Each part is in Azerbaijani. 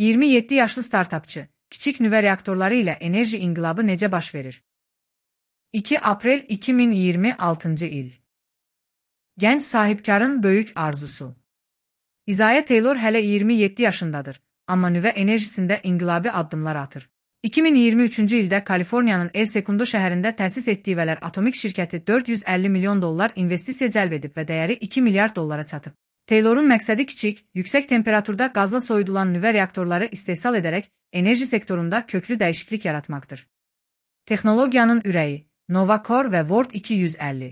27 yaşlı startapçı, kiçik nüvə reaktorları ilə enerji inqilabı necə baş verir? 2 aprel 2026 il. Gənc sahibkarın böyük arzusu. Isaiah Taylor hələ 27 yaşındadır, amma nüvə enerjisində inqilabi addımlar atır. 2023-cü ildə Kaliforniyanın El Segundo şəhərində təsis etdiyi Veler Atomics şirkəti $450 milyon investisiya cəlb edib və dəyəri $2 milyard çatıb. Taylor'un məqsədi kiçik, yüksək temperaturda qazla soyudulan nüvə reaktorları istehsal edərək enerji sektorunda köklü dəyişiklik yaratmaqdır. Texnologiyanın ürəyi, Novacor və Ward 250.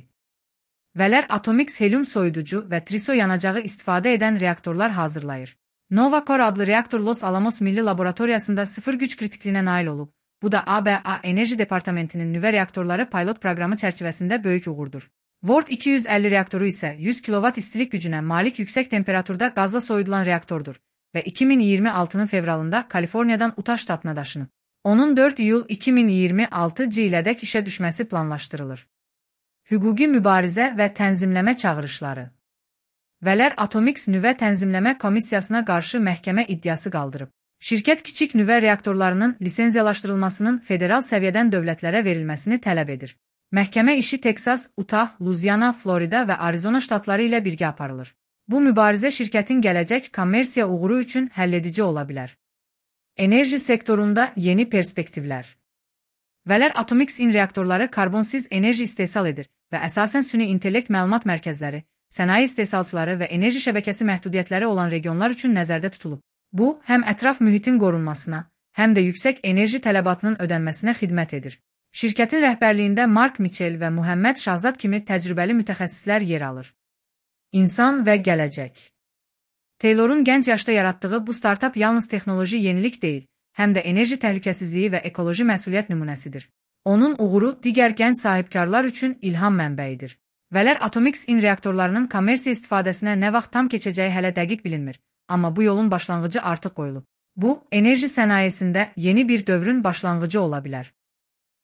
Veler Atomics helyum soyuducu və triso yanacağı istifadə edən reaktorlar hazırlayır. Novacor adlı reaktor Los Alamos Milli Laboratoriyasında sıfır güc kritikliyinə nail olub. Bu da ABA Enerji Departamentinin nüvə reaktorları pilot proqramı çərçivəsində böyük uğurdur. Ward 250 reaktoru isə 100 kW istilik gücünə malik yüksək temperaturda qazla soyudulan reaktordur və 2026-nın fevralında Kaliforniyadan Utah ştatına daşınıb. Onun 4 iyul 2026 ilədək işə düşməsi planlaşdırılır. Hüquqi mübarizə və tənzimləmə çağırışları. Veler Atomics nüvə tənzimləmə komissiyasına qarşı məhkəmə iddiası qaldırıb. Şirkət kiçik nüvə reaktorlarının lisenziyalaşdırılmasının federal səviyyədən dövlətlərə verilməsini tələb edir. Məhkəmə işi Texas, Utah, Louisiana, Florida və Arizona ştatları ilə birgə aparılır. Bu mübarizə şirkətin gələcək kommersiya uğuru üçün həlledici ola bilər. Enerji sektorunda yeni perspektivlər. Veler Atomics'in reaktorları karbonsiz enerji istehsal edir və əsasən süni intellekt məlumat mərkəzləri, sənaye istehsalçıları və enerji şəbəkəsi məhdudiyyətləri olan regionlar üçün nəzərdə tutulub. Bu, həm ətraf mühitin qorunmasına, həm də yüksək enerji tələbatının ödənməsinə xidmət edir. Şirkətin rəhbərliyində Mark Mitchell və Muhammed Şahzad kimi təcrübəli mütəxəssislər yer alır. İnsan və gələcək. Taylor'un gənc yaşda yaratdığı bu startap yalnız texnoloji yenilik deyil, həm də enerji təhlükəsizliyi və ekoloji məsuliyyət nümunəsidir. Onun uğuru digər gənc sahibkarlar üçün ilham mənbəyidir. Veler Atomics'in reaktorlarının kommersiya istifadəsinə nə vaxt tam keçəcəyi hələ dəqiq bilinmir, amma bu yolun başlanğıcı artıq qoyulub. Bu, enerji sənayesində yeni bir dövrün başlanğıcı ola bilər.